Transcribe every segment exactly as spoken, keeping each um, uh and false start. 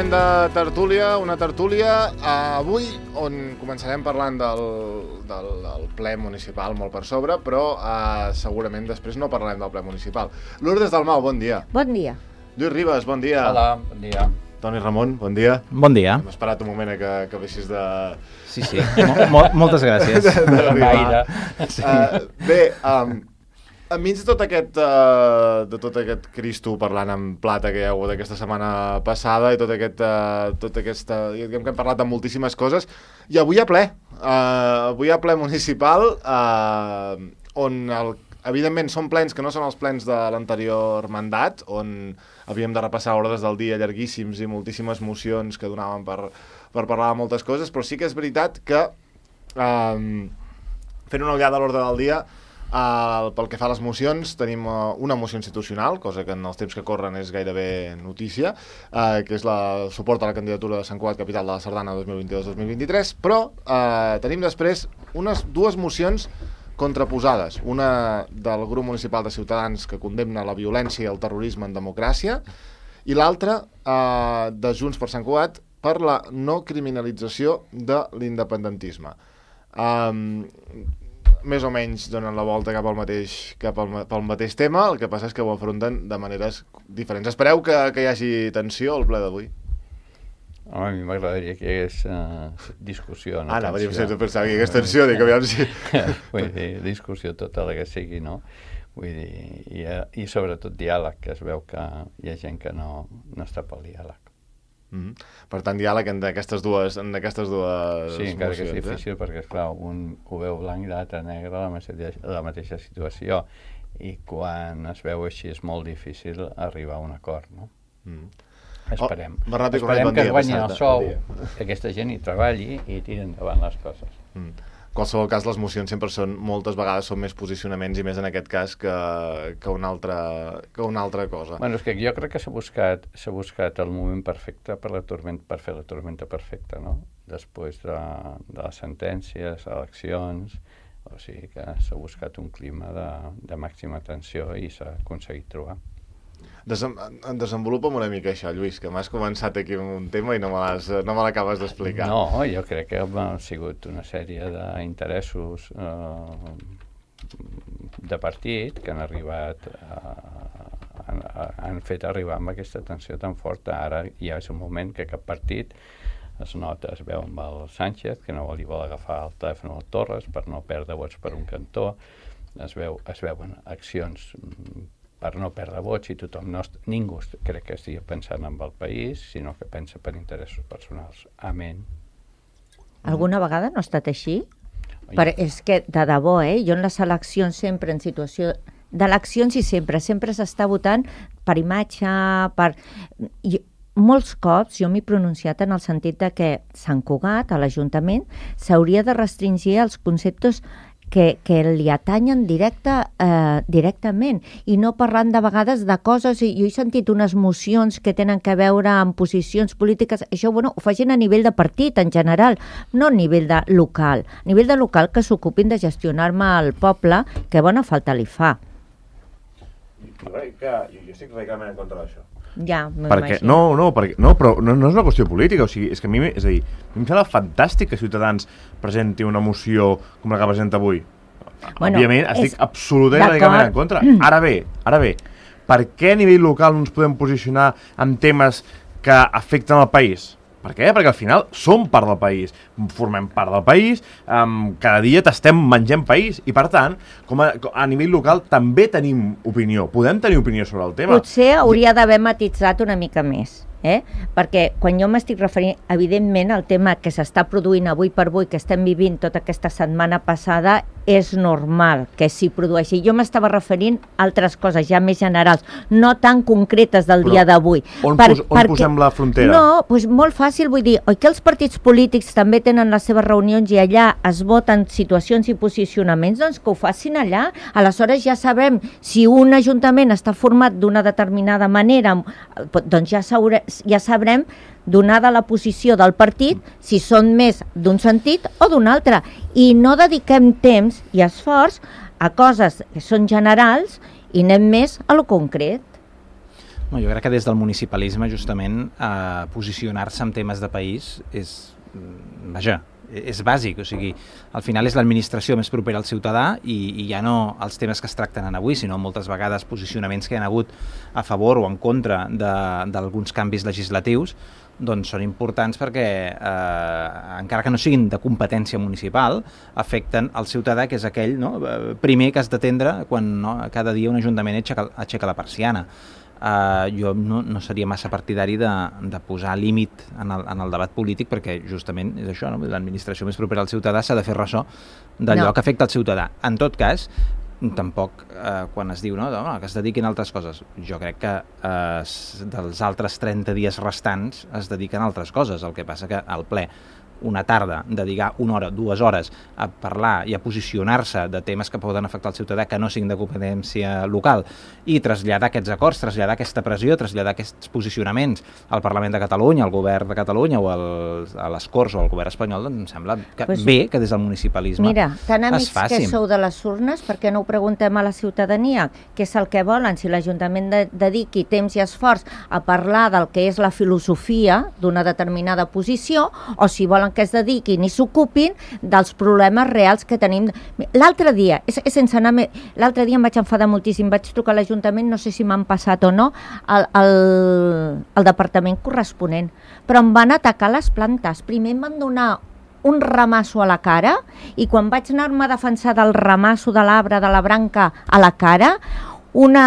moment de tertúlia, una tertúlia avui on començarem parlant del, del, del ple municipal molt per sobre, però eh, segurament després no parlarem del ple municipal. Lourdes Dalmau, bon dia. Bon dia. Lluís Ribas, bon dia. Hola, bon dia. Toni Ramon, bon dia. Bon dia. Hem esperat un moment que, que vessis de... Sí, sí, mo mo moltes gràcies. D'arribar. Sí. Uh, bé, um, enmig de tot aquest, uh, de tot aquest Cristo parlant en plata que hi ha hagut aquesta setmana passada i tot aquest, uh, tot aquesta, diguem que hem parlat de moltíssimes coses, i avui hi ha ple, uh, avui hi ha ple municipal, uh, on el, evidentment són plens que no són els plens de l'anterior mandat, on havíem de repassar ordres del dia llarguíssims i moltíssimes mocions que donaven per, per parlar de moltes coses, però sí que és veritat que, uh, fent una ullada a l'ordre del dia, Uh, pel que fa a les mocions, tenim uh, una moció institucional, cosa que en els temps que corren és gairebé notícia, uh, que és la suport a la candidatura de Sant Cugat Capital de la Sardana dos mil vint-i-dos dos mil vint-i-tres, però uh, tenim després unes dues mocions contraposades. Una del grup municipal de Ciutadans que condemna la violència i el terrorisme en democràcia, i l'altra uh, de Junts per Sant Cugat per la no criminalització de l'independentisme. Um, més o menys donen la volta cap al mateix, cap al, pel mateix tema, el que passa és que ho afronten de maneres diferents. Espereu que, que hi hagi tensió al ple d'avui? Home, a mi m'agradaria que hi hagués uh, discussió, no Ara, tensió. Ara, pensava que hi hagués tensió, dic, aviam si... Vull dir, discussió tota la que sigui, no? Vull dir, i, i sobretot diàleg, que es veu que hi ha gent que no, no està pel diàleg. Mm-hmm. Per tant, diàleg en aquestes dues, en aquestes dues sí, encara mocions, que és difícil, eh? perquè, esclar, un ho veu blanc i l'altre negre, la mateixa, la mateixa situació, i quan es veu així és molt difícil arribar a un acord, no? Mm. Esperem. Oh, Bernat, Esperem bon que dia, guanyin el sou, bon que aquesta gent hi treballi i tiri endavant les coses. Mm. En qualsevol cas, les mocions sempre són, moltes vegades són més posicionaments, i més en aquest cas que, que, una, altra, que una altra cosa. Bueno, és que jo crec que s'ha buscat, s'ha buscat el moment perfecte per, la tormenta, per fer la tormenta perfecta, no? Després de, de les sentències, eleccions, o sigui que s'ha buscat un clima de, de màxima tensió i s'ha aconseguit trobar. Desem desenvolupa'm una mica això, Lluís, que m'has començat aquí amb un tema i no me no me l'acabes d'explicar. No, jo crec que ha sigut una sèrie d'interessos eh, de partit que han arribat, eh, han, han fet arribar amb aquesta tensió tan forta. Ara ja és un moment que cap partit es nota, es veu amb el Sánchez, que no li vol agafar el telèfon al Torres per no perdre vots per un cantó, es, veu, es veuen accions per no perdre vots i tothom, no, ningú crec que estigui pensant en el país, sinó que pensa per interessos personals. Amén. Alguna vegada no ha estat així? Per, és que, de debò, eh? Jo en les eleccions sempre, en situació d'eleccions i sempre, sempre s'està votant per imatge, per... I, molts cops jo m'he pronunciat en el sentit de que Sant Cugat, a l'Ajuntament, s'hauria de restringir els conceptes que, que li atanyen directe, eh, directament i no parlant de vegades de coses. Jo he sentit unes mocions que tenen que veure amb posicions polítiques. Això, bueno, ho facin a nivell de partit en general, no a nivell de local. A nivell de local que s'ocupin de gestionar-me el poble, que bona falta li fa. Jo crec que jo, jo estic radicalment en contra d'això. Ja, perquè, no, no, perquè, no, però no, no és una qüestió política, o sigui, és que a mi, és a dir, a mi em sembla fantàstic que Ciutadans presenti una moció com la que presenta avui. Bueno, òbviament, estic absolutament radicalment en contra. Ara bé, ara bé, per què a nivell local no ens podem posicionar en temes que afecten el país? Per què? Perquè al final som part del país, formem part del país, um, cada dia t'estem menjant país i per tant, com a, a nivell local també tenim opinió, podem tenir opinió sobre el tema. Potser hauria d'haver matitzat una mica més, eh? Perquè quan jo m'estic referint, evidentment, al tema que s'està produint avui per avui, que estem vivint tota aquesta setmana passada, és normal que s'hi produeixi. Jo m'estava referint a altres coses ja més generals, no tan concretes del Però dia d'avui. On, per, pos, on perquè, posem la frontera? No, doncs molt fàcil, vull dir, oi que els partits polítics també tenen les seves reunions i allà es voten situacions i posicionaments, doncs que ho facin allà. Aleshores ja sabem si un ajuntament està format d'una determinada manera, doncs ja, sabrem, ja sabrem donada la posició del partit, si són més d'un sentit o d'un altre. I no dediquem temps i esforç a coses que són generals i anem més a lo concret. Jo crec que des del municipalisme, justament, eh, posicionar-se en temes de país és, vaja, és bàsic, o sigui, al final és l'administració més propera al ciutadà i, i ja no els temes que es tracten en avui, sinó moltes vegades posicionaments que hi ha hagut a favor o en contra d'alguns canvis legislatius, doncs són importants perquè, eh, encara que no siguin de competència municipal, afecten el ciutadà, que és aquell, no, primer que has d'atendre quan, no, cada dia un ajuntament aixeca, aixeca la persiana. Uh, jo no, no seria massa partidari de, de posar límit en el, en el debat polític, perquè justament és això, no? L'administració més propera al ciutadà s'ha de fer ressò d'allò no. que afecta el ciutadà. En tot cas, tampoc eh, quan es diu no, no, que es dediquin a altres coses, jo crec que eh, dels altres trenta dies restants es dediquen a altres coses, el que passa que al ple una tarda, dedicar una hora, dues hores a parlar i a posicionar-se de temes que poden afectar el ciutadà que no siguin de competència local i traslladar aquests acords, traslladar aquesta pressió, traslladar aquests posicionaments al Parlament de Catalunya, al Govern de Catalunya o al, a les Corts o al Govern espanyol, doncs em sembla que pues, bé que des del municipalisme mira, tan amics es facin. Que sou de les urnes, per què no ho preguntem a la ciutadania? Què és el que volen? Si l'Ajuntament de, dediqui temps i esforç a parlar del que és la filosofia d'una determinada posició, o si volen que es dediquin i s'ocupin dels problemes reals que tenim. L'altre dia, és, és sense anar més, l'altre dia em vaig enfadar moltíssim, vaig trucar a l'Ajuntament, no sé si m'han passat o no, al, al, al departament corresponent, però em van atacar les plantes. Primer em van donar un ramasso a la cara i quan vaig anar-me a defensar del ramasso de l'arbre, de la branca a la cara, una,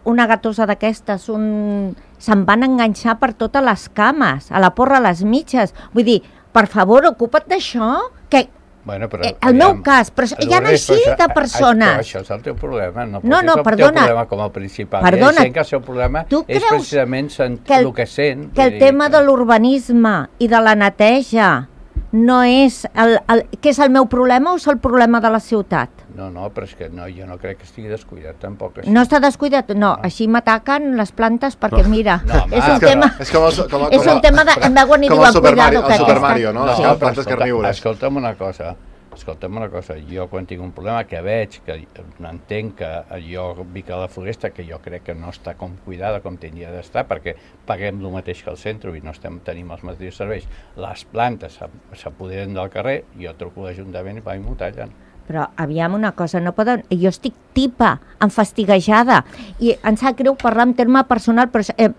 una gatosa d'aquestes, un... se'n van enganxar per totes les cames, a la porra, a les mitges. Vull dir, per favor, ocupa't d'això, que bueno, però, el aviam, meu cas, però hi ha així de persones. Això, això és el teu problema, no, no, no és el perdona, teu problema com a principal. Perdona, I que el seu problema és precisament sent, que el, el que sent. Que el tema de l'urbanisme i de la neteja no és el, el, que és el meu problema o és el problema de la ciutat? No, no, però és que no, jo no crec que estigui descuidat tampoc. Així. No està descuidat? No, no. Així m'ataquen les plantes perquè, mira, no, és un és tema... És com el, com, és com, un tema de... Em veuen i diuen, cuidado, que... Com el Super Mario, no? no Les no, plantes escolta, carnívores. Escolta'm una cosa, escolta'm una cosa, jo quan tinc un problema que veig, que entenc que jo vic a la Floresta, que jo crec que no està com cuidada com tindria d'estar, perquè paguem el mateix que al centre i no estem tenim els mateixos serveis, les plantes s'apoderen del carrer, jo truco a l'Ajuntament i vaig m'ho tallen. Però aviam una cosa, no poden... Jo estic tipa, enfastiguejada, i em sap greu parlar en terme personal, però eh,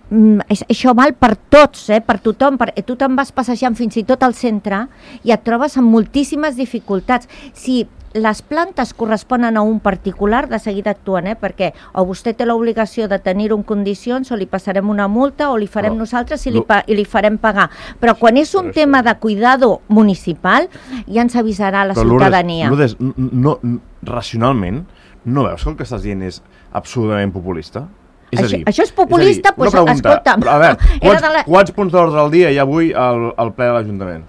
això val per tots, eh, per tothom. Per, eh, tu te'n vas passejant fins i tot al centre i et trobes amb moltíssimes dificultats. Si les plantes corresponen a un particular, de seguida actuen, eh, perquè o vostè té l'obligació de tenir-ho en condicions, o li passarem una multa, o li farem no, nosaltres i li, pa, i li farem pagar. Però quan és un tema de cuidado municipal, ja ens avisarà la però ciutadania. Lourdes, no, no, racionalment, no veus que el que estàs dient és absolutament populista? És això, a dir, això és populista? És dir, doncs escolta'm. Però, a veure, quants, la... quants punts d'ordre al dia hi ha avui al, al ple de l'Ajuntament?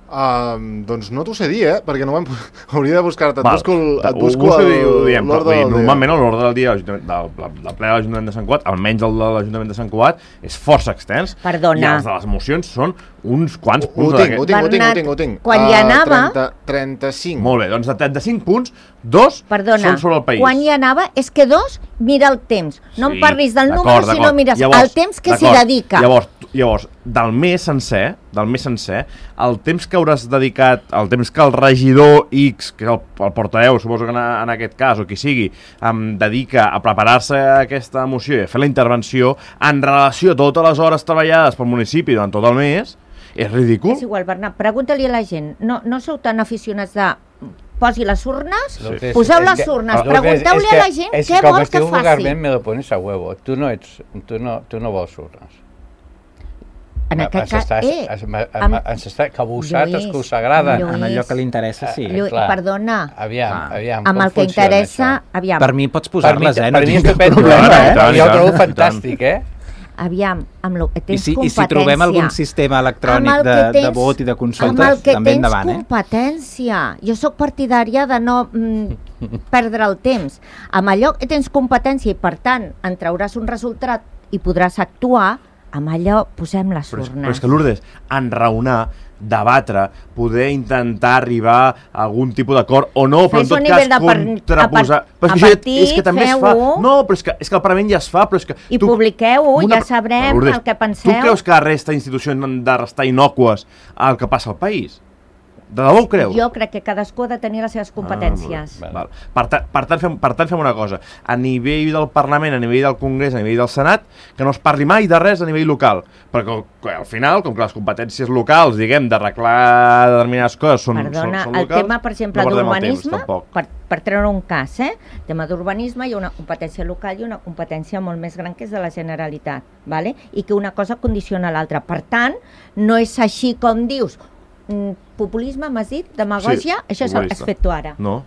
Um, doncs no t'ho sé dir, eh? Perquè no vam... Hauria de buscar-te. Et busco, el, et busco busco el, l'ordre del dia. Normalment l'ordre del dia del, del, del ple de l'Ajuntament de Sant Cugat, almenys el de l'Ajuntament de Sant Cugat, és força extens. Perdona. I els de les mocions són uns quants punts. Ho tinc, ho tinc, ho tinc, ho tinc, ho tinc. Quan hi anava... Uh, trenta, trenta-cinc. Molt bé, doncs de trenta-cinc punts, dos Perdona, són sobre el país. Quan hi anava, és que dos, mira el temps. No sí, em parlis del número, sinó mires llavors, el temps que s'hi dedica. Llavors, llavors, del mes sencer, del mes sencer, el temps que hauràs dedicat, el temps que el regidor X, que és el, el portaveu, suposo que en, en aquest cas, o qui sigui, em dedica a preparar-se aquesta moció i a fer la intervenció en relació a totes les hores treballades pel municipi durant tot el mes, és ridícul. És igual, Bernat, pregunta-li a la gent. No, no sou tan aficionats de... Posi les urnes, sí. Poseu les urnes, pregunteu-li a la gent és què que, vol que faci. vulgarment me lo pones a huevo. Tu no, ets, tu no, tu no vols urnes. En aquest cas, eh, ens està cabussat, els que us agrada. En allò que li interessa, sí. Lluís, perdona. Aviam, aviam, amb el que interessa, aviam. Per mi pots posar-les, eh? Per mi és estupendo, eh? Jo ho trobo fantàstic, eh? Aviam, amb el que tens I si, competència... I si trobem algun sistema electrònic de, tens, de vot i de consultes, també endavant, eh? Amb el que tens competència. Jo sóc partidària de no mm, perdre el temps. Amb allò que tens competència i, per tant, en trauràs un resultat i podràs actuar, amb allò posem les però és, urnes. Però és que, Lourdes, enraonar, debatre, poder intentar arribar a algun tipus d'acord o no, però en tot cas contraposar... Però és que, partit, és que també es fa... No, però és que, és que el Parlament ja es fa, però és que... I tu, publiqueu-ho, una... ja sabrem Lourdes, el que penseu. Tu creus que la resta d'institucions han de restar innocues al que passa al país? De debò ho creus? Jo crec que cadascú ha de tenir les seves competències. Ah, val. Per, ta, per, tant, fem, per tant, fem una cosa. A nivell del Parlament, a nivell del Congrés, a nivell del Senat, que no es parli mai de res a nivell local. Perquè al final, com que les competències locals, diguem, d'arreglar determinades coses són, Perdona, són, són locals... el tema, per exemple, no d'urbanisme, per, per treure un cas, eh? El tema d'urbanisme hi ha una competència local i una competència molt més gran que és de la Generalitat, ¿vale? I que una cosa condiciona l'altra. Per tant, no és així com dius... Populisme, m'has dit? Demagògia? Sí, això has fet tu ara. No.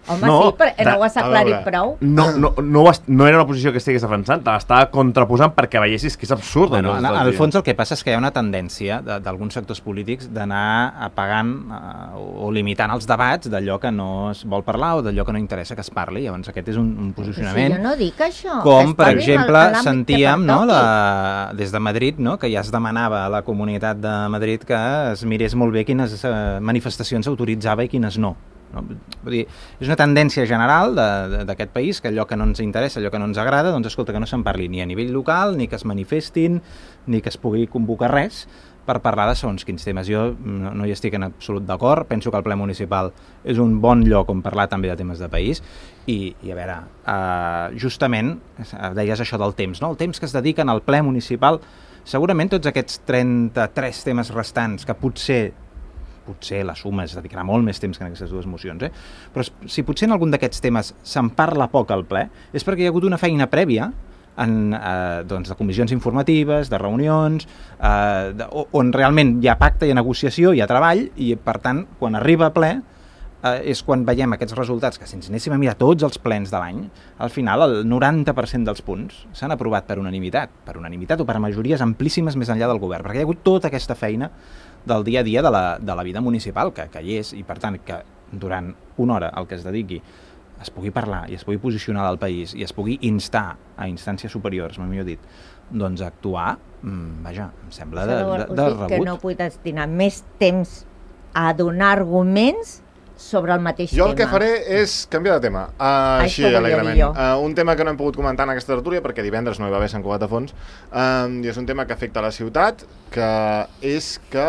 Home, no, sí, però no ho has aclarit prou. No, no, no, no era una posició que estigués defensant, l'estava contraposant perquè veiessis que és absurd. Bueno, en, en el fons el que passa és que hi ha una tendència d'alguns sectors polítics d'anar apagant uh, o limitant els debats d'allò que no es vol parlar o d'allò que no interessa que es parli. Llavors aquest és un, un posicionament... Sí, jo no dic això. Com, per exemple, sentíem no, la, des de Madrid, no, que ja es demanava a la Comunitat de Madrid que es mirés molt bé quines uh, manifestacions autoritzava i quines no. No? Vull dir, és una tendència general d'aquest país que allò que no ens interessa, allò que no ens agrada, doncs escolta, que no se'n parli ni a nivell local, ni que es manifestin, ni que es pugui convocar res per parlar de segons quins temes. Jo no, no hi estic en absolut d'acord, penso que el ple municipal és un bon lloc on parlar també de temes de país i, i a veure, uh, justament deies això del temps, no? El temps que es dediquen al ple municipal, segurament tots aquests trenta-tres temes restants que potser potser la suma es dedicarà molt més temps que en aquestes dues mocions, eh? Però si potser en algun d'aquests temes se'n parla poc al ple, és perquè hi ha hagut una feina prèvia en, eh, doncs, de comissions informatives, de reunions, eh, de, on realment hi ha pacte, hi ha negociació, hi ha treball, i per tant, quan arriba a ple, eh, és quan veiem aquests resultats, que si ens anéssim a mirar tots els plens de l'any, al final el noranta per cent dels punts s'han aprovat per unanimitat, per unanimitat o per majories amplíssimes més enllà del govern, perquè hi ha hagut tota aquesta feina del dia a dia de la, de la vida municipal, que, que hi és, i per tant que durant una hora el que es dediqui es pugui parlar i es pugui posicionar al país i es pugui instar a instàncies superiors, millor dit, doncs actuar, mmm, vaja, em sembla de, de, de rebut. Que no puc destinar més temps a donar arguments sobre el mateix jo tema. Jo el que faré és canviar de tema, uh, així alegrement. Uh, un tema que no hem pogut comentar en aquesta tertúlia, perquè divendres no hi va haver Sant Cugat de Fons, uh, i és un tema que afecta a la ciutat, que és que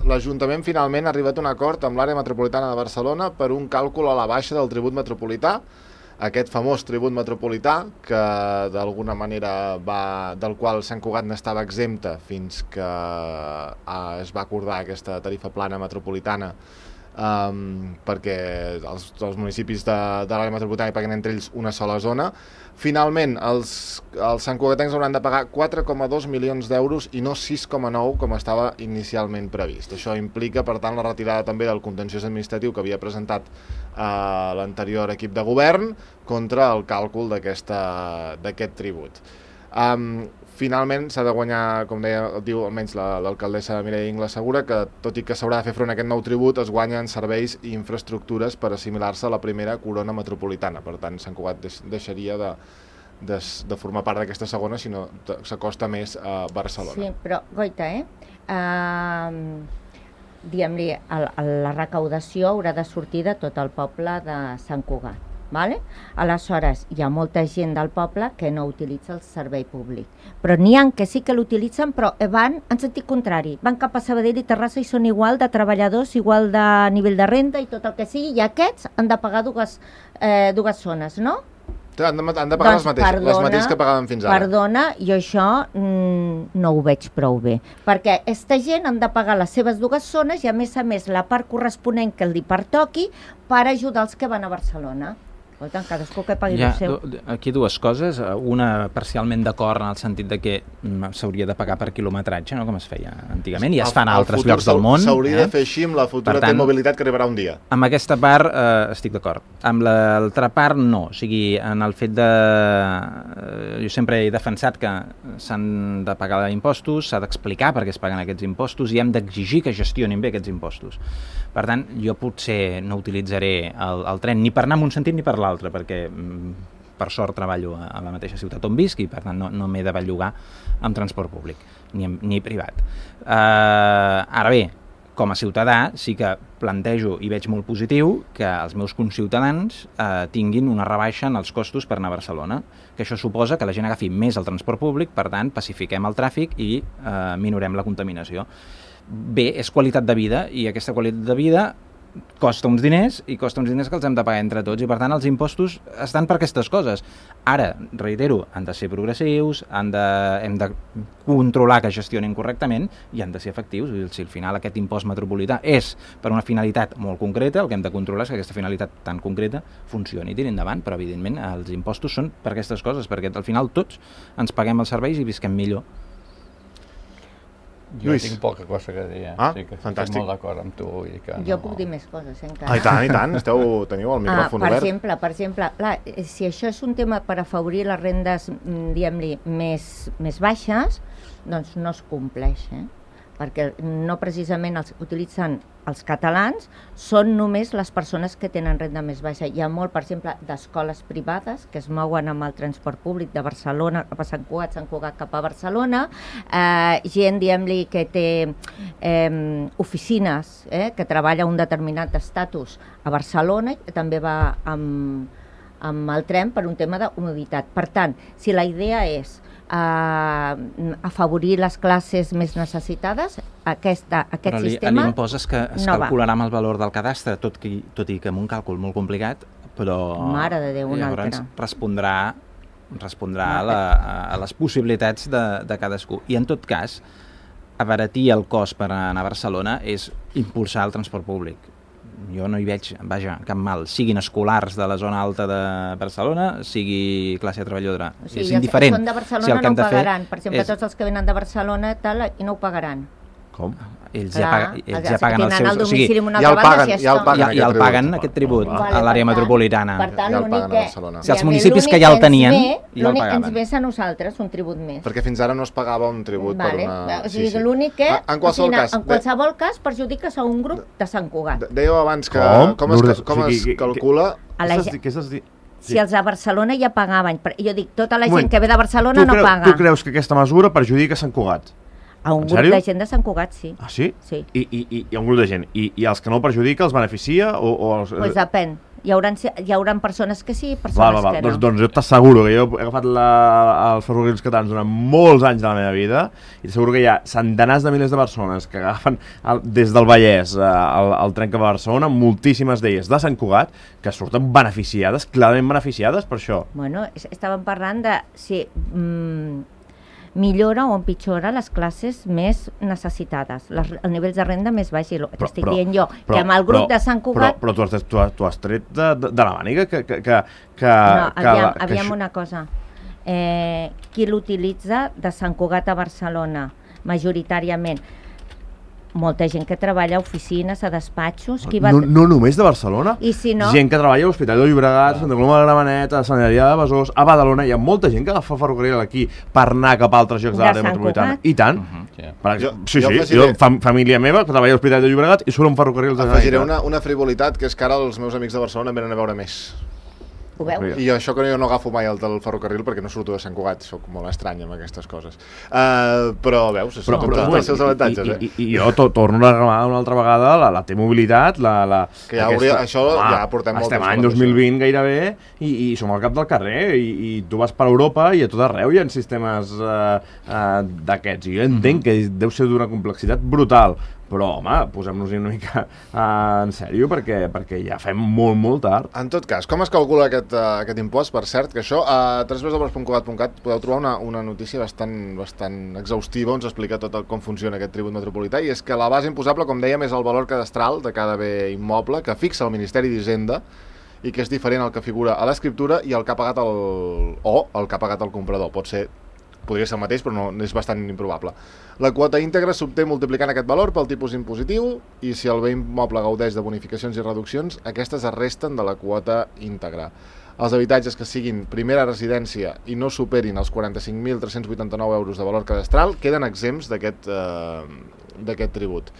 l'Ajuntament finalment ha arribat a un acord amb l'àrea metropolitana de Barcelona per un càlcul a la baixa del tribut metropolità, aquest famós tribut metropolità, que d'alguna manera va, del qual Sant Cugat n'estava exempta fins que uh, es va acordar aquesta tarifa plana metropolitana, Um, perquè els, els municipis de, de l'àrea metropolitana hi paguen entre ells una sola zona. Finalment els, els santcugatencs hauran de pagar quatre coma dos milions d'euros i no sis coma nou com estava inicialment previst. Això implica per tant la retirada també del contenciós administratiu que havia presentat uh, l'anterior equip de govern contra el càlcul d'aquest tribut. Um, Finalment s'ha de guanyar, com deia, diu almenys l'alcaldessa Mireia Ingles assegura, que tot i que s'haurà de fer front a aquest nou tribut, es guanyen serveis i infraestructures per assimilar-se a la primera corona metropolitana. Per tant, Sant Cugat deixaria de, de, de formar part d'aquesta segona, sinó s'acosta més a Barcelona. Sí, però, Goita, eh? Uh, diguem-li, la recaudació haurà de sortir de tot el poble de Sant Cugat. Vale? Aleshores, hi ha molta gent del poble que no utilitza el servei públic, però n'hi ha que sí que l'utilitzen, però van en sentit contrari, van cap a Sabadell i Terrassa i són igual de treballadors, igual de nivell de renda i tot el que sigui, i aquests han de pagar dues, eh, dues zones, no? Han de, han de pagar doncs, les, mateixes, perdona, les mateixes que pagaven fins ara. Perdona, jo això mm, no ho veig prou bé, perquè aquesta gent han de pagar les seves dues zones i a més a més la part corresponent que li pertoqui per ajudar els que van a Barcelona. Tant, cadascú que pagui el seu. Aquí dues coses, una parcialment d'acord en el sentit de que s'hauria de pagar per quilometratge, no? Com es feia antigament, i es fan a altres llocs del món. S'hauria eh? de fer així amb la futura T-mobilitat que arribarà un dia. Amb aquesta part eh, estic d'acord. Amb l'altra part no, o sigui, en el fet de... Eh, jo sempre he defensat que s'han de pagar impostos, s'ha d'explicar per què es paguen aquests impostos i hem d'exigir que gestionin bé aquests impostos. Per tant, jo potser no utilitzaré el, el tren ni per anar en un sentit ni per l'altre, perquè per sort treballo a, a la mateixa ciutat on visc i per tant no, no m'he de bellugar amb transport públic, ni, ni privat. Uh, ara bé, com a ciutadà sí que plantejo i veig molt positiu que els meus conciutadans eh, tinguin una rebaixa en els costos per anar a Barcelona, que això suposa que la gent agafi més el transport públic, per tant pacifiquem el tràfic i eh, minorem la contaminació. Bé, és qualitat de vida i aquesta qualitat de vida costa uns diners i costa uns diners que els hem de pagar entre tots i per tant els impostos estan per aquestes coses. Ara, reitero, han de ser progressius, han de, hem de controlar que gestionin correctament i han de ser efectius. Si al final aquest impost metropolità és per una finalitat molt concreta, el que hem de controlar és que aquesta finalitat tan concreta funcioni i tiri endavant, però evidentment els impostos són per aquestes coses, perquè al final tots ens paguem els serveis i visquem millor. Jo Lluís. tinc poca cosa que dir, eh? Ah, sí que fantàstic. estic molt d'acord amb tu. I que Jo no... puc dir més coses, eh, encara. Ah, i tant, i tant, esteu, teniu el micròfon ah, per obert. exemple, per exemple, clar, si això és un tema per afavorir les rendes, diguem-li, més, més baixes, doncs no es compleix, eh? Perquè no precisament els utilitzen els catalans, són només les persones que tenen renda més baixa. Hi ha molt, per exemple, d'escoles privades que es mouen amb el transport públic de Barcelona cap a Sant Cugat, Sant Cugat cap a Barcelona, eh, gent, diguem-li, que té eh, oficines, eh, que treballa un determinat estatus a Barcelona i també va amb, amb el tren per un tema de comoditat. Per tant, si la idea és Uh, afavorir les classes més necessitades, aquesta, aquest Però li, sistema l'impost es, que es no calcularà amb el valor del cadastre, tot, que, tot i que amb un càlcul molt complicat, però Mare de Déu, un llavors altre. respondrà, respondrà a, la, a les possibilitats de, de cadascú. I en tot cas, abaratir el cost per anar a Barcelona és impulsar el transport públic. Jo no hi veig, vaja, cap mal, siguin escolars de la zona alta de Barcelona, sigui classe treballadora. O sigui, és indiferent. Els que són de Barcelona si el que no hem ho de fer pagaran. Per exemple, és... tots els que venen de Barcelona tal, i no ho pagaran. Com? Ells Clar, ja, paga, ells els ja que paguen els tenen seus... el domicili O sigui, en una ja altra el banda, paguen, si ja el està- paguen. ja, ja el aquest paguen, tribut. aquest tribut, Vale. a Vale, l'àrea per tant- metropolitana. Per tant, Ja el l'únic paguen a que... Barcelona. Si els diguem-ne, municipis l'únic que ja el ens tenien, ve- ja el l'únic pagaven. ens ve a nosaltres un tribut més. Perquè fins ara no es pagava un tribut Vale. per una... O sigui, l'únic que, Ah, en qualsevol o sigui, cas, en qualsevol cas perjudiques a un grup de Sant Cugat. de- Dèieu abans que... Com? Com, es, Lourdes, com o es sigui, que- calcula... A la Què gent- estàs di- què estàs di- Si els de Barcelona ja pagaven, però jo dic, tota la gent Moment, que ve de Barcelona tu no creu- paga. Tu creus que aquesta mesura perjudica Sant Cugat? A un En grup sèrio? de gent de Sant Cugat, sí. Ah, sí? Sí. I, i, i, i un grup de gent. I, i els que no el perjudica els beneficia? O, o els... Pues depèn. Hi haurà, hi haurà persones que sí i persones Val, val, val. que no. Doncs, doncs jo t'asseguro que jo he agafat la, els ferrocarrils catalans durant molts anys de la meva vida i t'asseguro que hi ha centenars de milers de persones que agafen el, des del Vallès eh, el, el tren cap a Barcelona, moltíssimes d'elles de Sant Cugat, que surten beneficiades, clarament beneficiades per això. Bueno, es- estàvem parlant de si mm, millora o empitjora les classes més necessitades, les, els nivells de renda més baix, i el que estic dient jo, que amb el grup però, de Sant Cugat... Però, però tu, has, tu, has, tu has tret de, de, de la màniga que... que, que, que No, que, aviam, que aviam això- una cosa. Eh, qui l'utilitza de Sant Cugat a Barcelona, majoritàriament? Molta gent que treballa a oficines, a despatxos... Qui va... No, no només de Barcelona. I si no... Gent que treballa a l'Hospital de Llobregat, a Santa Coloma de Gramenet, a Sant Adrià de Besòs, a Badalona. Hi ha molta gent que agafa ferrocarril aquí per anar cap a altres llocs de De l'àrea Sant metropolitana. Cugat? I tant. Uh -huh, yeah. Per Jo- exemple, sí, jo sí, afegiré- jo, fam, família meva que treballa a l'Hospital de Llobregat i surt un ferrocarril de Afegiré Generalitat. una, una frivolitat, que és que ara els meus amics de Barcelona em venen a veure més. Ho veus? I això que jo no agafo mai el del ferrocarril perquè no surto de Sant Cugat, soc molt estrany amb aquestes coses. Uh, però veus, són tots bueno, els seus avantatges, i, eh? i, i jo to, torno a reclamar una altra vegada la, la T-mobilitat, la, la, Que ja hauria- això ja portem molt estem temps any parlant dos mil vint gairebé i, i som al cap del carrer i, i tu vas per Europa i a tot arreu hi ha sistemes uh, uh, d'aquests i jo entenc que deu ser d'una complexitat brutal, però home, posem-nos-hi una mica uh, en sèrio perquè, perquè ja fem molt, molt tard. En tot cas, com es calcula aquest, uh, aquest impost? Per cert, que això a w w w punt cugat punt cat podeu trobar una, una notícia bastant, bastant exhaustiva on s'explica tot el, com funciona aquest tribut metropolità, i és que la base imposable, com dèiem, és el valor cadastral de cada bé immoble que fixa el Ministeri d'Hisenda i que és diferent al que figura a l'escriptura i el que ha pagat el, o el que ha pagat el comprador. Pot ser, podria ser el mateix, però no, és bastant improbable. La quota íntegra s'obté multiplicant aquest valor pel tipus impositiu i si el bé immoble gaudeix de bonificacions i reduccions, aquestes es resten de la quota íntegra. Els habitatges que siguin primera residència i no superin els quaranta-cinc mil tres-cents vuitanta-nou euros de valor cadastral queden exempts d'aquest eh, d'aquest tribut.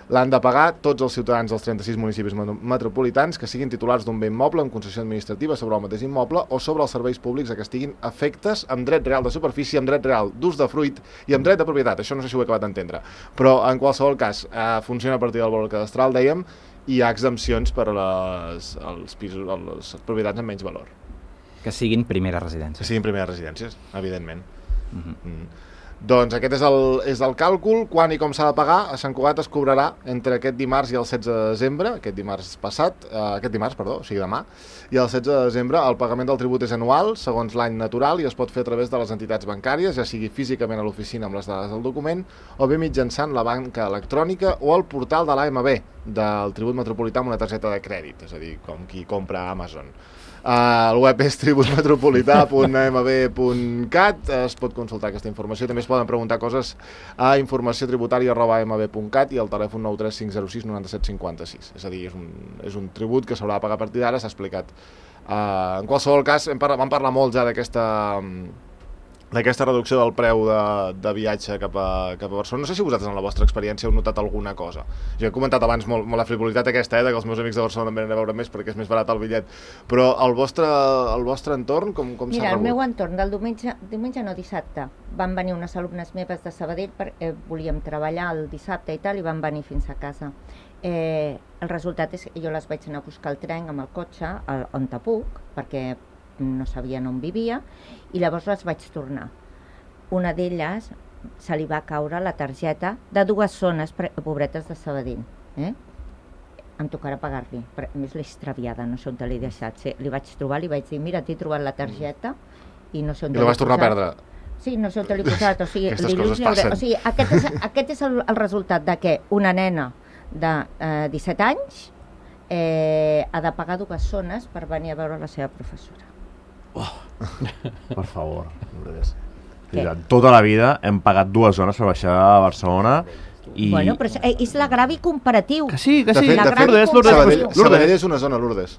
L'han de pagar tots els ciutadans dels trenta-sis municipis metropolitans que siguin titulars d'un bé immoble amb concessió administrativa sobre el mateix immoble o sobre els serveis públics a què estiguin afectes amb dret real de superfície, amb dret real d'ús de fruit i amb dret de propietat. Això no sé si ho he acabat d'entendre. Però en qualsevol cas, eh, funciona a partir del valor cadastral, dèiem, i hi ha exempcions per a les, els pisos, les propietats amb menys valor. Que siguin primeres residències. Que siguin primeres residències, evidentment. Uh-huh. Mm. Doncs aquest és el, és el càlcul. Quan i com s'ha de pagar? A Sant Cugat es cobrarà entre aquest dimarts i el setze de desembre, aquest dimarts passat, eh, aquest dimarts, perdó, o sigui demà, i el setze de desembre el pagament del tribut és anual, segons l'any natural, i es pot fer a través de les entitats bancàries, ja sigui físicament a l'oficina amb les dades del document, o bé mitjançant la banca electrònica o el portal de l'A M B, del tribut metropolità amb una targeta de crèdit, és a dir, com qui compra a Amazon. Uh, el web és tribut metropolità punt a m b punt cat, es pot consultar aquesta informació, també es poden preguntar coses a informació tributària arroba a m b punt cat i el telèfon nou tres cinc zero sis nou set cinc sis, és a dir, és un, és un tribut que s'haurà de pagar a partir d'ara, s'ha explicat. Uh, en qualsevol cas, hem parlat, vam parlar molt ja d'aquesta d'aquesta reducció del preu de, de viatge cap a, cap a Barcelona. No sé si vosaltres en la vostra experiència heu notat alguna cosa. Jo he comentat abans molt, molt la frivolitat aquesta, eh, que els meus amics de Barcelona em venen a veure més perquè és més barat el bitllet, però el vostre, el vostre entorn com, com s'ha rebut? Mira, el meu entorn del diumenge, diumenge no, dissabte, van venir unes alumnes meves de Sabadell perquè volíem treballar el dissabte i tal, i van venir fins a casa. Eh, el resultat és que jo les vaig anar a buscar el tren amb el cotxe al, on te puc, perquè no sabien on vivia, i llavors les vaig tornar. Una d'elles se li va caure la targeta de dues zones pobretes de Sabadell. Eh? Em tocarà pagar-li, però a més l'he extraviada, no sé on te l'he deixat. Sí, li vaig trobar, li vaig dir, mira, t'he trobat la targeta i no sé on te l'he posat. I la vas tornar a perdre? Sí, no sé on te l'he posat. O sigui, aquestes coses passen. O sigui, aquest és, aquest és el, el resultat de que una nena de eh, disset anys eh, ha de pagar dues zones per venir a veure la seva professora. Oh, per favor. Tota la vida hem pagat dues zones per baixar a Barcelona i... Bueno, però és, és l'agravi comparatiu. Que sí, que sí. De fet, de fet Lourdes, Lourdes, Sabadell, Sabadell és una zona, Lourdes.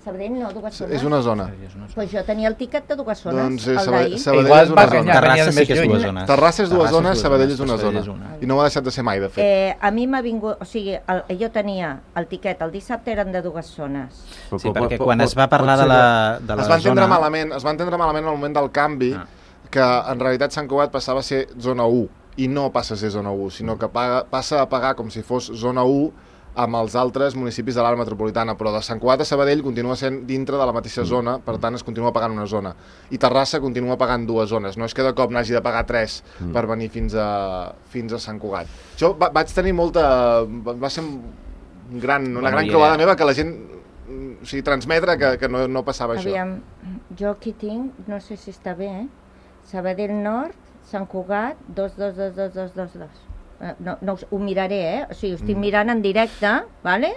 Sabadell no, dues zones. És una zona. Pues jo tenia el tiquet de dues zones, doncs, el Sabadell, d'ahir. Sabadell és una zona. Terrassa sí que és dues zones. Terrassa és dues zones, Sabadell és una zona. I no ho ha deixat de ser mai, de fet. Eh, a mi m'ha vingut... O sigui, el, jo tenia el tiquet, el dissabte eren de dues zones. Sí, perquè quan es va parlar de la, de la es va entendre zona... malament, es va entendre malament al moment del canvi, ah. que en realitat Sant Cugat passava a ser zona u, i no passa a ser zona u, sinó que paga, passa a pagar com si fos zona u amb els altres municipis de l'àrea metropolitana, però de Sant Cugat a Sabadell continua sent dintre de la mateixa zona, per tant es continua pagant una zona. I Terrassa continua pagant dues zones, no és que de cop n'hagi de pagar tres mm. per venir fins a, fins a Sant Cugat. Jo va, vaig tenir molta... va ser un gran, una bueno, gran creuada meva que la gent... O sigui, transmetre que, que no, no passava Aviam, això. Jo aquí tinc, no sé si està bé, eh? Sabadell Nord, Sant Cugat, dos, dos, dos, dos, dos, dos, dos. No, no, ho miraré, eh? O sigui, ho estic mirant en directe, vale?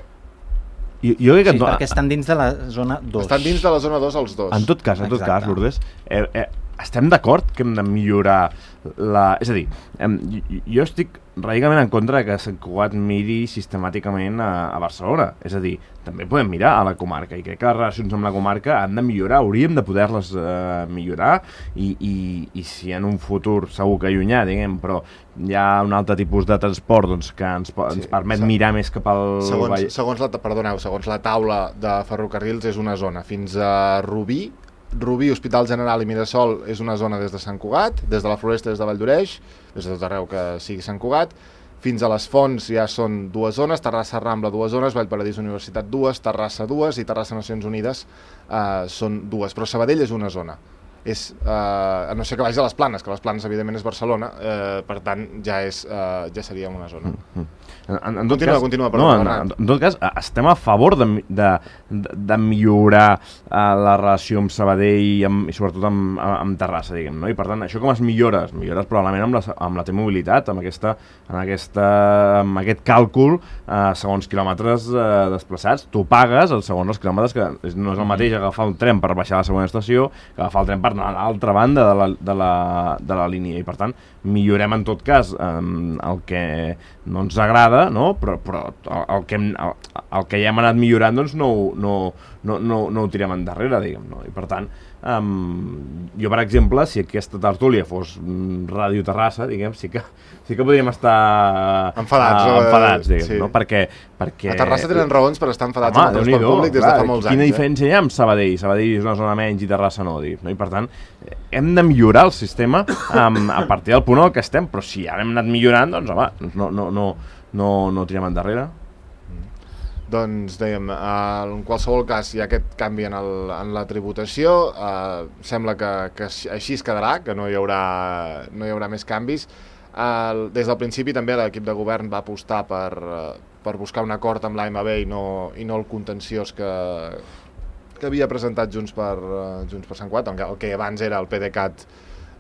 Jo, jo crec que sí, no, perquè estan dins de la zona dos. Estan dins de la zona dos els dos. En tot cas, en tot Exacte. cas, Lourdes, eh, eh, estem d'acord que hem de millorar la... És a dir, eh, jo estic radicalment en contra que Sant Cugat miri sistemàticament a, a Barcelona. És a dir, també podem mirar a la comarca i crec que les relacions amb la comarca han de millorar, hauríem de poder-les eh, millorar i, i, i si en un futur segur que llunyà, diguem, però hi ha un altre tipus de transport doncs, que ens, ens sí, permet se... mirar més cap al... Segons, segons, la, perdoneu, segons la taula de ferrocarrils és una zona fins a Rubí, Rubí, Hospital General i Mirasol és una zona des de Sant Cugat, des de la Floresta, des de Valldoreix, des de tot arreu que sigui Sant Cugat, fins a les Fonts ja són dues zones, Terrassa Rambla dues zones, Vallparadís Universitat dues, Terrassa dues i Terrassa Nacions Unides eh, són dues, però Sabadell és una zona. És, eh, a no ser que vagi a les Planes, que les Planes evidentment és Barcelona, eh, per tant ja, és, eh, ja seria una zona. Mm -hmm. En, en continua, cas, continua, perdó, no, en, en tot cas, estem a favor de, de, de, de millorar uh, la relació amb Sabadell i, amb, i sobretot amb, amb Terrassa, diguem, no? I per tant, això com es millora? Es millores probablement amb la, amb la T-mobilitat, amb, aquesta, amb, aquesta, amb aquest càlcul uh, segons quilòmetres uh, desplaçats. Tu pagues el segons els quilòmetres, que no és el mateix agafar un tren per baixar a la segona estació que agafar el tren per anar a l'altra banda de la, de, la, de la línia. I per tant, millorem en tot cas um, el que no ens agrada, no? però, però el, que hem, el, el que ja hem anat millorant doncs no, no, no, no, no ho tirem endarrere, diguem, no? I per tant Um, jo, per exemple, si aquesta tertúlia fos Ràdio Terrassa, diguem, sí que, sí que podríem estar enfadats, uh, enfadats diguem, sí. no? Perquè, perquè... A Terrassa tenen raons per estar enfadats Home, amb el transport públic des de fa molts quina anys. Quina diferència eh? hi ha amb Sabadell? Sabadell és una zona menys i Terrassa no, dic, no? I per tant, hem de millorar el sistema um, a partir del punt en què estem, però si ara hem anat millorant, doncs home, no, no, no, no, no tirem endarrere. Doncs dèiem, eh, en qualsevol cas hi ha aquest canvi en, el, en la tributació, eh, sembla que, que així es quedarà, que no hi haurà, no hi haurà més canvis. Eh, des del principi també l'equip de govern va apostar per, eh, per buscar un acord amb l'A M B i no, i no el contenciós que, que havia presentat Junts per, uh, Junts per Sant Cugat, el que abans era el PDeCAT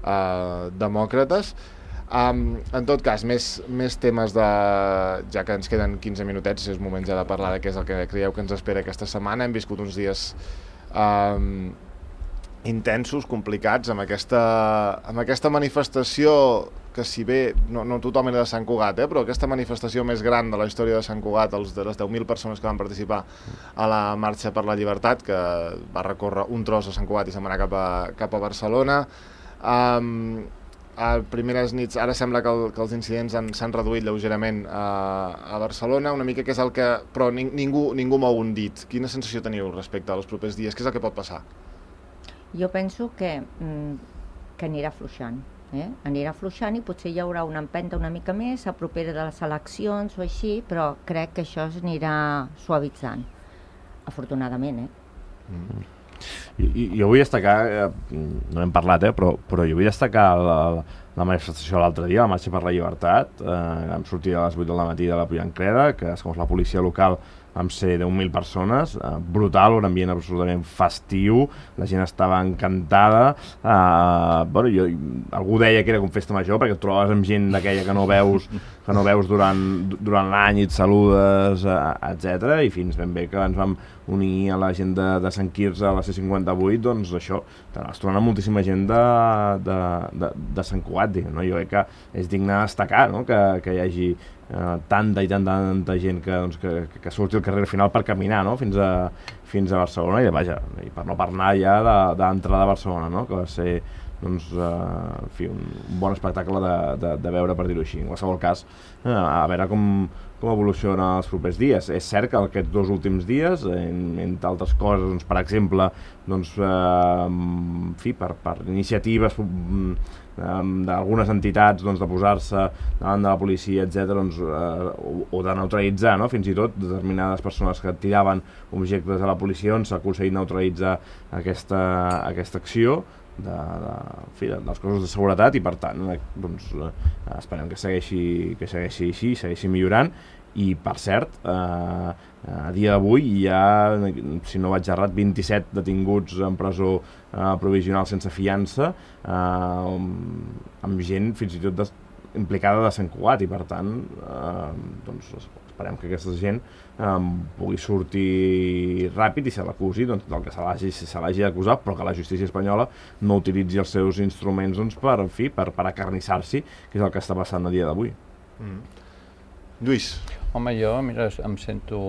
uh, Demòcrates. Um, en tot cas, més, més temes de... ja que ens queden quinze minutets, és moment ja de parlar de què és el que creieu que ens espera aquesta setmana. Hem viscut uns dies um, intensos, complicats, amb aquesta, amb aquesta manifestació que si bé no, no tothom era de Sant Cugat, eh, però aquesta manifestació més gran de la història de Sant Cugat, els de les deu mil persones que van participar a la Marxa per la Llibertat, que va recórrer un tros a Sant Cugat i se'n va anar cap a, cap a Barcelona. Um, a primeres nits, ara sembla que, el, que els incidents s'han reduït lleugerament a, a Barcelona, una mica que és el que... però ning, ningú, ningú mou un dit. Quina sensació teniu respecte als propers dies? Què és el que pot passar? Jo penso que, que anirà fluixant. Eh? Anirà fluixant i potser hi haurà una empenta una mica més a propera de les eleccions o així, però crec que això s'anirà suavitzant, afortunadament. Eh? Mm. I, jo vull destacar, eh, no hem parlat, eh, però, però jo vull destacar la, la manifestació l'altre dia, la Marxa per la Llibertat, eh, vam sortir a les vuit del matí de la Pollancreda, que segons la policia local vam ser deu mil persones, eh, brutal, un ambient absolutament festiu, la gent estava encantada, eh, bueno, jo, algú deia que era com festa major, perquè et trobaves amb gent d'aquella que no veus, que no veus durant, durant l'any i et saludes, eh, etcètera, i fins ben bé que ens vam unir a la gent de, de Sant Quirze a la C cinquanta-vuit, doncs això, es trobant moltíssima gent de, de, de, de Sant Cugat, diguem, no? Jo crec que és digne de destacar, no? que, que hi hagi eh, tanta i tanta, tanta gent que, doncs, que, que surti al carrer final per caminar, no? fins, a, fins a Barcelona, i, vaja, i per no parlar ja d'entrada a Barcelona, no? Que va ser doncs, eh, en fi, un bon espectacle de, de, de veure, per dir-ho així. En qualsevol cas, eh, a veure com, com evoluciona els propers dies. És cert que aquests dos últims dies, en, entre altres coses, doncs, per exemple, doncs, eh, en fi, per, per iniciatives eh, d'algunes entitats doncs, de posar-se davant de la policia, etcètera, doncs, eh, o, o de neutralitzar, no? Fins i tot determinades persones que tiraven objectes a la policia, doncs, s'ha aconseguit neutralitzar aquesta, aquesta acció de, de, en fi, de, dels cossos de seguretat, i per tant doncs, eh, esperem que segueixi, que segueixi així, segueixi millorant. I per cert, eh, a dia d'avui hi ha, si no vaig errat, vint-i-set detinguts en presó eh, provisional sense fiança, eh, amb gent fins i tot de, implicada de Sant Cugat, i per tant eh, doncs, esperem que aquesta gent eh, pugui sortir ràpid i se l'acusi doncs, del que se l'hagi si se l'hagi d'acusar, però que la justícia espanyola no utilitzi els seus instruments doncs, per, en fi, per, per acarnissar-s'hi, que és el que està passant a dia d'avui. Mm. Lluís. Home, jo, mira, em sento,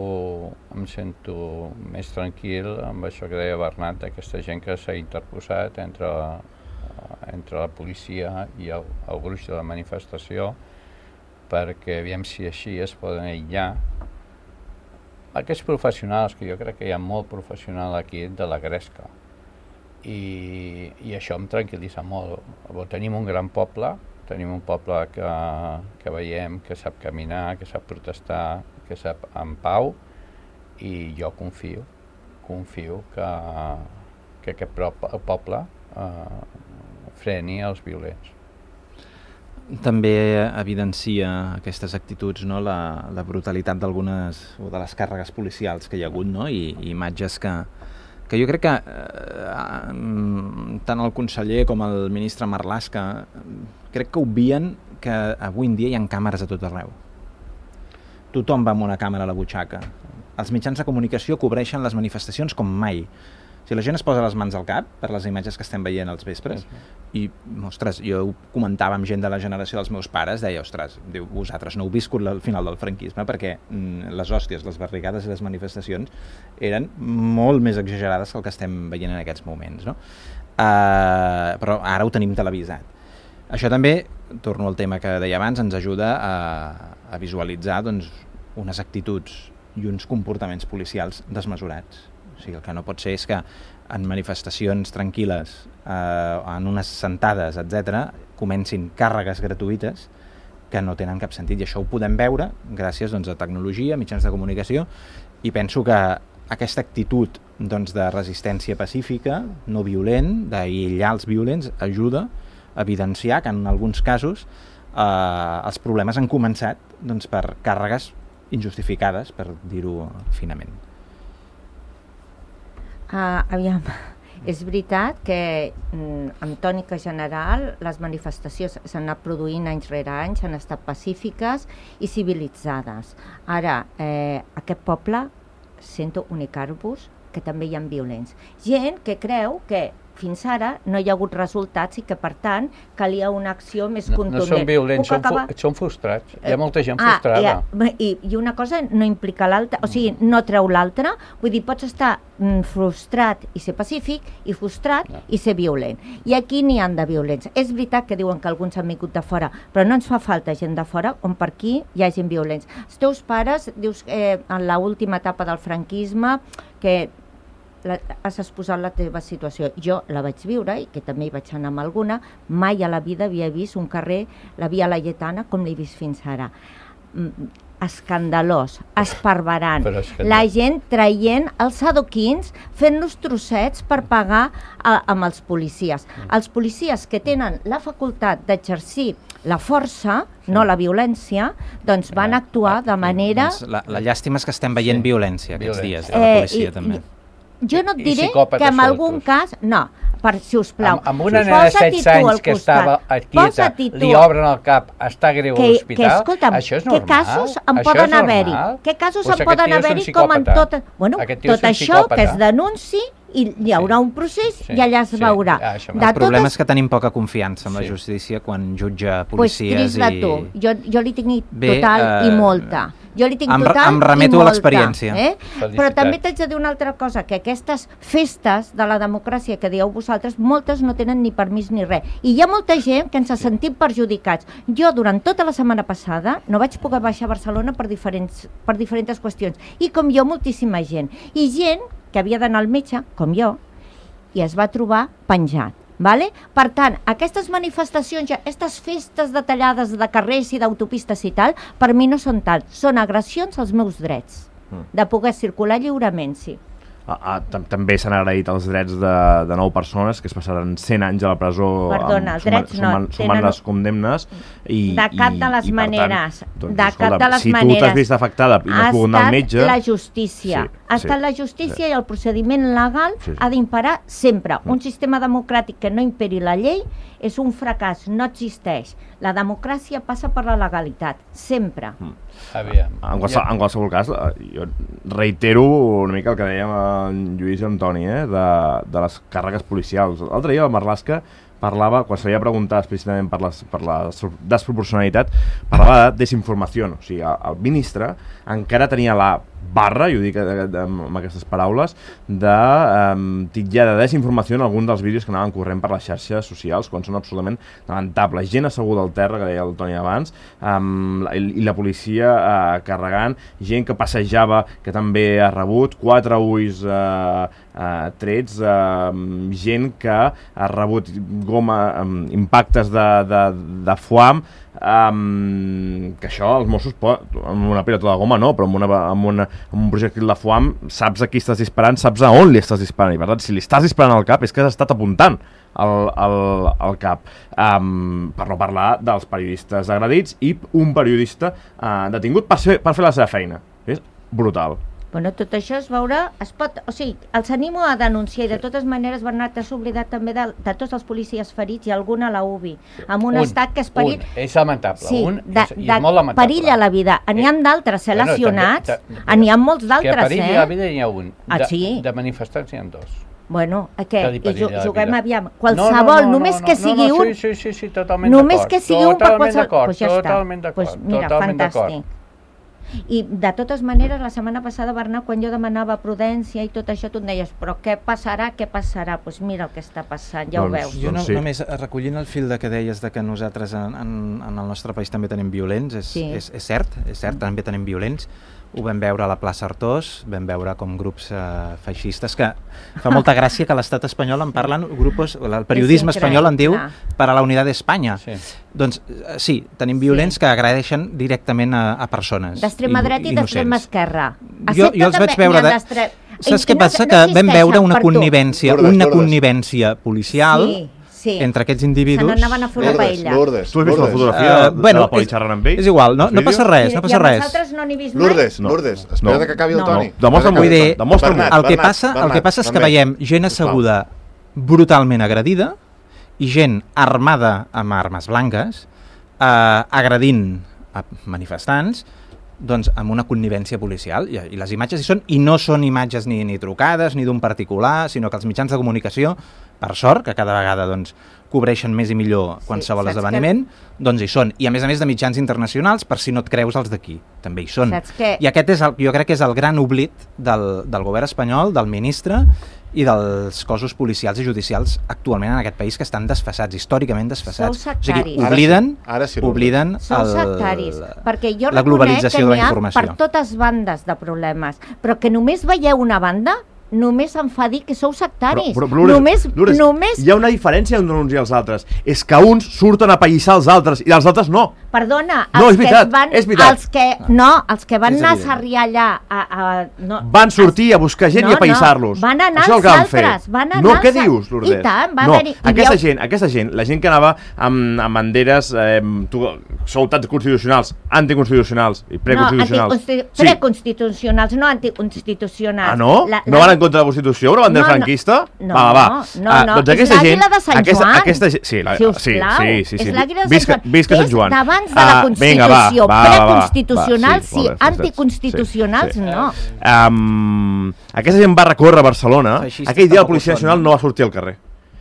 em sento més tranquil amb això que deia Bernat, d'aquesta gent que s'ha interposat entre, entre la policia i el, el gruix de la manifestació, perquè aviam si així es poden aïllar aquests professionals, que jo crec que hi ha molt professional aquí de la gresca, i, i això em tranquil·litza molt. Tenim un gran poble, tenim un poble que, que veiem que sap caminar, que sap protestar, que sap en pau, i jo confio, confio que, que aquest poble eh, freni els violents. També evidencia aquestes actituds, no? la, la brutalitat d'algunes o de les càrregues policials que hi ha hagut, no? I, i imatges que, que jo crec que eh, tant el conseller com el ministre Marlaska crec que obvien que avui en dia hi ha càmeres a tot arreu. Tothom va amb una càmera a la butxaca. Els mitjans de comunicació cobreixen les manifestacions com mai. Si la gent es posa les mans al cap per les imatges que estem veient als vespres, i, ostres, jo ho comentava amb gent de la generació dels meus pares, deia, ostres, diu, vosaltres no heu viscut el final del franquisme, perquè mm, les hòsties, les barricades i les manifestacions eren molt més exagerades que el que estem veient en aquests moments, no? Uh, però ara ho tenim televisat. Això també, torno al tema que deia abans, ens ajuda a, a visualitzar doncs, unes actituds i uns comportaments policials desmesurats. O sigui, el que no pot ser és que en manifestacions tranquil·les, eh, en unes sentades, etcètera, comencin càrregues gratuïtes que no tenen cap sentit. I això ho podem veure gràcies doncs, a tecnologia, mitjans de comunicació, i penso que aquesta actitud doncs, de resistència pacífica, no violent, d'aïllar els violents, ajuda a evidenciar que en alguns casos eh, els problemes han començat doncs, per càrregues injustificades, per dir-ho finament. Uh, aviam, és veritat que mm, en tònica general les manifestacions s'han anat produint anys rere anys, han estat pacífiques i civilitzades. Ara, eh, aquest poble sento unicar-vos que també hi ha violents. Gent que creu que fins ara no hi ha hagut resultats i que, per tant, calia una acció més contundent. No, no són violents, són, acabar... fu són frustrats. Hi ha molta gent ah, frustrada. Ha, i, I una cosa no implica l'altra, o sigui, no treu l'altra. Vull dir, pots estar mm, frustrat i ser pacífic, i frustrat no. i ser violent. I aquí n'hi han de violents. És veritat que diuen que alguns han vingut de fora, però no ens fa falta gent de fora on per aquí hi ha gent violents. Els teus pares, dius, eh, en l'última etapa del franquisme, que La, has exposat la teva situació. Jo la vaig viure i que també hi vaig anar amb alguna. Mai a la vida havia vist un carrer, la Via Laietana, com l'he vist fins ara. Mm, escandalós, esparverant. La gent traient els adoquins, fent-los trossets per pagar a, amb els policies. Els policies que tenen la facultat d'exercir la força, sí. no la violència, doncs van actuar de manera... Doncs la, la llàstima és que estem veient sí. violència aquests dies, de la policia eh, i, també. I, Jo no et diré que en algun cas... No, per, si us plau. Amb, amb una nena de setze anys que estava quieta, li obren el cap, està greu a l'hospital, això és normal? Què casos en poden haver-hi? Què casos en poden haver-hi com en tot... Bueno, tot això que es denunci i hi haurà un procés sí, i allà es sí, veurà. Ah, el problema totes... és que tenim poca confiança en la sí. justícia quan jutja policies pues, i... Tu. Jo, jo li tinc total Bé, uh... i molta. Jo li tinc em, total em remeto i molta. A l'experiència. Eh? Però també t'haig de dir una altra cosa, que aquestes festes de la democràcia que dieu vosaltres, moltes no tenen ni permís ni res. I hi ha molta gent que ens ha sentit perjudicats. Jo, durant tota la setmana passada, no vaig poder baixar a Barcelona per diferents, per diferents qüestions. I com jo, moltíssima gent. I gent que havia d'anar al metge, com jo, i es va trobar penjat. Vale? Per tant, aquestes manifestacions, aquestes festes detallades de carrers i d'autopistes i tal, per mi no són tal, són agressions als meus drets, mm. de poder circular lliurement, sí. Ah, ah, també s'han agraït els drets de, de nou persones que es passaran cent anys a la presó. Perdona, els drets no. Sumant, sumant les condemnes. I, de cap de les i, maneres. Tant, doncs, de cap de les si maneres. Si tu t'has vist afectada i no has pogut anar al metge... la justícia. Sí, ha estat sí, la justícia sí. i el procediment legal sí, sí. ha d'imperar sempre. Mm. Un sistema democràtic que no imperi la llei és un fracàs, no existeix. La democràcia passa per la legalitat, sempre. Mm. Aviam. En, qualsevol, en qualsevol cas, jo reitero una mica el que dèiem en Lluís i Antoni, eh, de, de les càrregues policials. L'altre dia la Marlaska parlava, quan se li ha preguntat explícitament per, les, per la desproporcionalitat, parlava de desinformació. O sigui, el, el ministre encara tenia la barra, i ho dic amb aquestes paraules, de um, titllar de desinformació en algun dels vídeos que anaven corrent per les xarxes socials, quan són absolutament lamentables. Gent asseguda al terra, que deia el Toni abans, um, i, i la policia uh, carregant, gent que passejava, que també ha rebut, quatre ulls uh, uh, trets, uh, gent que ha rebut goma, um, impactes de, de, de foam, Um, que això els Mossos pot, amb una pilota de goma no, però amb, una, amb, una, amb un projectil de foam saps a qui estàs disparant, saps a on li estàs disparant, i per tant si li estàs disparant al cap és que has estat apuntant al, al, al cap, um, per no parlar dels periodistes agredits i un periodista uh, detingut per, ser, per fer la seva feina. És brutal. Bueno, tot això es veurà, es pot, o sigui, els animo a denunciar i de totes maneres, Bernat, t'has oblidat també de, de tots els policies ferits i algun a la U B I, amb un, un estat que és perill... Un, és lamentable, sí, un de, és, és molt lamentable. Perill a la vida, n'hi ha d'altres, eh, bueno, lesionats, n'hi ha molts d'altres, eh? Que perill a la vida n'hi ha un, de, ah, sí? de manifestants n'hi ha dos. Bueno, què? I juguem aviam, no, qualsevol, no, no, només no, que sigui no, no, un... Sí, sí, sí, totalment d'acord. Només que sigui un per qualsevol... Pues ja totalment d'acord, pues mira, totalment fantàstic. I de totes maneres, la setmana passada, Bernat, quan jo demanava prudència i tot això, tu em deies, però què passarà, què passarà? Doncs pues mira el que està passant, ja doncs, ho veus. Jo no, sí. només recollint el fil de que deies de que nosaltres en, en, en el nostre país també tenim violents, és, sí. és, és cert, és cert, també tenim violents. Ho vam veure a la plaça Artós, vam veure com grups eh, feixistes, que fa molta gràcia que a l'estat espanyol en parlen grupos, el periodisme espanyol en diu per a la unitat d'Espanya. Sí. Doncs sí, tenim violents sí. que agradeixen directament a, a persones d'extrema dreta i d'extrema esquerra. Jo, jo els vaig veure de... Saps què passa? Que vam veure una connivència, una connivència policial sí. entre aquests individus. Se n'anaven a fer una paella. Lourdes, tu has vist la fotografia uh, de bueno, la poli xerrant amb ells? És igual, no, no passa res, no passa res. I nosaltres no n'hi vist mai? Lourdes, Lourdes, espera't que acabi el Toni. Demostra'm-ho. Demostra'm-ho. El que passa, el que passa és que veiem gent asseguda brutalment agredida i gent armada amb armes blanques eh, agredint a manifestants doncs amb una connivència policial i, i les imatges hi són, i no són imatges ni, ni trucades ni d'un particular, sinó que els mitjans de comunicació, per sort, que cada vegada doncs, cobreixen més i millor qualsevol sí, esdeveniment, que... doncs hi són. I a més a més de mitjans internacionals, per si no et creus els d'aquí, també hi són. Que... I aquest és el, jo crec que és el gran oblit del, del govern espanyol, del ministre i dels cossos policials i judicials actualment en aquest país, que estan desfasats, històricament desfasats. Sou sectaris. O sigui, obliden, ara sí, ara sí obliden Sou el, sectaris, perquè jo la globalització de la informació. Per totes bandes de problemes, però que només veieu una banda, només em fa dir que sou sectaris. Però, però, però, només, Lourdes, només... hi ha una diferència entre uns i els altres. És que uns surten a païssar els altres i els altres no. Perdona, els no, és que veritat, van, és veritat. Els que, no, els que van anar a sarriar allà... A, a, no, van sortir a buscar gent no, i a païssar-los. No, van anar els altres. Van anar no, què als... dius, Lourdes? I tant, va no, haver-hi... aquesta, havia... gent, aquesta gent, la gent que anava amb, amb banderes, eh, tu, sou tant constitucionals, anticonstitucionals i preconstitucionals. No, anticonstitu... sí. preconstitucionals, no anticonstitucionals. Ah, no? La, no la... van en contra de la Constitució, una bandera no, franquista? No, va, va, va. no, no. Uh, doncs és l'àguila de Sant aquesta, Joan. Aquesta, sí, la, si sí, sí, sí, sí. És l'àguila de visca, Sant Joan. Visca Sant Joan. És d'abans de la Constitució. Uh, preconstitucionals, sí, sí, anticonstitucionals, sí, sí. no. Um, aquesta gent va recórrer a Barcelona. Feixista, aquell dia la Policia Nacional no va sortir al carrer.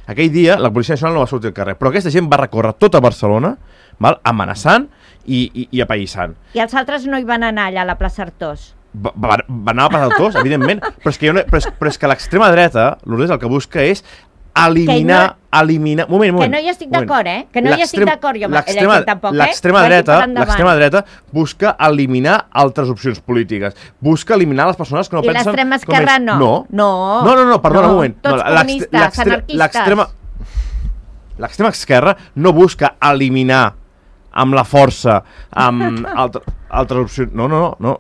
Aquell dia la Policia Nacional no va sortir al carrer. Però aquesta gent va recórrer tota Barcelona, val, amenaçant i, i, i apaïssant. I els altres no hi van anar allà a la plaça Artós? Va, va, va anar a la plaça Artós, evidentment. Però és que, una, però és, però és que l'extrema dreta, Lourdes, el que busca és eliminar, no, eliminar... Moment, moment. Que no hi estic d'acord, eh? Que no hi estic d'acord, jo l'extrema tampoc, eh? L'extrema dreta, l'extrema dreta busca eliminar altres opcions polítiques. Busca eliminar les persones que no I pensen... I l'extrema esquerra no. No. No, no, no, no perdona no. un moment. Tots no, comunistes, anarquistes. L'extrema esquerra no busca eliminar amb la força, amb altre, altres opcions... No, no, no, no.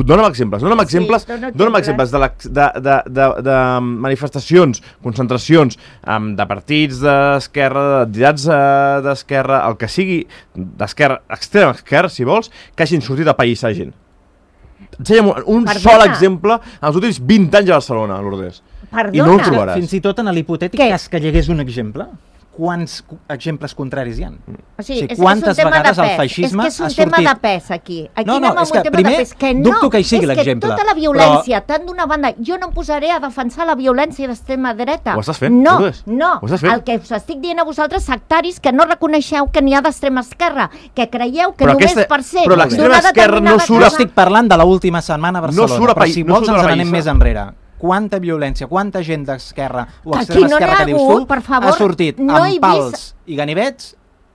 Dona'm exemples, dona'm exemples, sí, dona'm exemples de, la, de, de, de, de manifestacions, concentracions um, de partits d'esquerra, d'entitats d'esquerra, el que sigui d'esquerra, extrema esquerra, si vols, que hagin sortit a païssar gent. Ensenya'm un Perdona. sol exemple en els últims vint anys a Barcelona, Lourdes. Perdona. I no el trobaràs. Fins i tot en l'hipotètic cas que hi hagués un exemple, quants exemples contraris hi ha? O sigui, és, quantes és vegades el feixisme ha sortit... És que és un tema de pes, aquí. Aquí no, no, anem és que un tema primer de pes. Que no, dubto que hi sigui l'exemple. És que tota la violència, però... tant d'una banda... Jo no em posaré a defensar la violència d'extrema dreta. Ho estàs fent? No, Lourdes? no. Ho estàs fent? El que us estic dient a vosaltres, sectaris, que no reconeixeu que n'hi ha d'extrema esquerra, que creieu que però només aquesta... per ser... Però l'extrema esquerra no surt... Jo estic parlant de l'última setmana a Barcelona, no surt a però si no vols ens n'anem païssa. més enrere. Quanta violència, quanta gent d'esquerra o extrema no esquerra que dius tu per favor, ha sortit no amb pals vist... i ganivets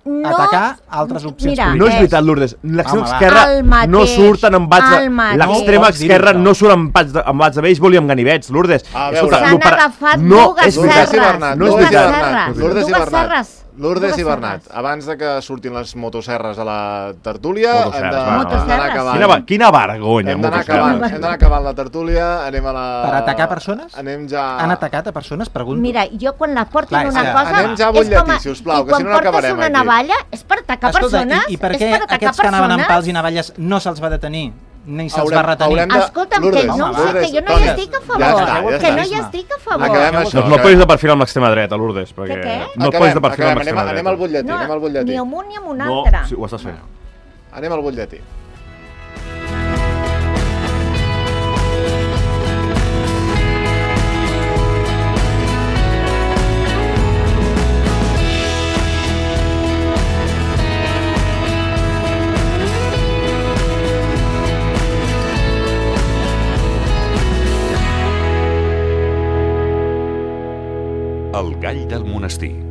no, a atacar altres opcions mira, polítiques. No és veritat, Lourdes. L'extrema Home, esquerra mateix, no surten amb bats de... L'extrema esquerra no surt amb bats de, amb bats de béisbol i amb ganivets, Lourdes. A veure, s'han agafat no, dues serres. No és veritat. Lourdes i Bernat. Lourdes i Bernat, abans de que surtin les motoserres a la tertúlia, hem d'anar acabant. Quina, quina vergonya, hem d'anar acabant, hem d'anar acabant la tertúlia, anem a la... Per atacar persones? Anem ja... Han atacat a persones, pregunto? Mira, jo quan la portin Clar, una que... cosa... Anem ja a butlletí, sisplau, que si no n'acabarem aquí. I quan portes una navalla és per atacar Escolta, persones? I, i per què aquests que anaven amb pals i navalles no se'ls va detenir? Ni se'ls va retenir. De... Escolta'm, Lourdes, que no ho sé, que jo no hi estic a favor. Ja està, ja que està. no hi estic a favor. Acabem això. Doncs no et posis de perfil amb l'extrema dreta, Lourdes. Perquè què? no et posis de perfil amb l'extrema dreta. Anem al butlletí, no, anem al butlletí. Ni amb un ni amb un no, altre. Sí, ho estàs fent. Anem al butlletí. Gall del Monestir.